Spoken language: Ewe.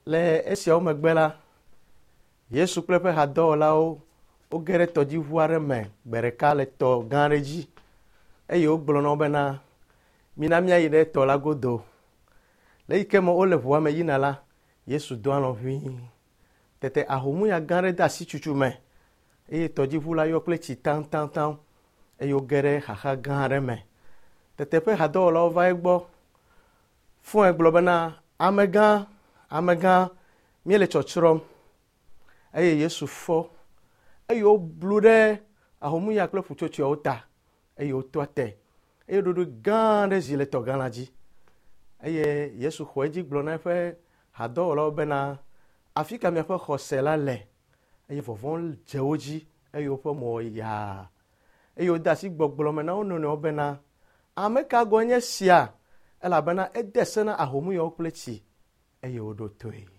Le esiawo megbe la, Yesu kple eƒe hadɔwɔlawo woge ɖe tɔdziʋu aɖe me gbe ɖeka le tɔ gã aɖe dzi eye wogblɔ na wo bena, mina míayi ɖe tɔ la godo. Le eyi ke me wole ʋua me yina la, Yesu do alɔ ʋĩi. Tete ahomuya gã aɖe de asi tsutsu me eye tɔdziʋu la yɔ kple tsi taŋtaŋtaŋ eye woge ɖe xaxa gã aɖe me. Tete eƒe hadɔwɔlawo va egbɔ fɔe gblɔ bena, amegã, amegã, míele tsɔtsrɔ̃m. Eye Yesu fɔ eye woblu ɖe ahomuya kple ƒutsotsoeawo ta eye wotɔ te eye ɖoɖoe gã aɖe zi le tɔgã la dzi. Eye Yesu xɔ edzi gblɔ na eƒe hadɔwɔlawo bena, afi ka miaƒe xɔse la le? Eye vɔvɔ̃ dze wo dzi eye woƒe mo wɔ yaa. Eye wode asi gbɔgblɔ me na wo nɔnɔewo bena, ame ka gɔe nye sia? Elabena ede se na ahomuyawo kple tsi eye woɖo toe.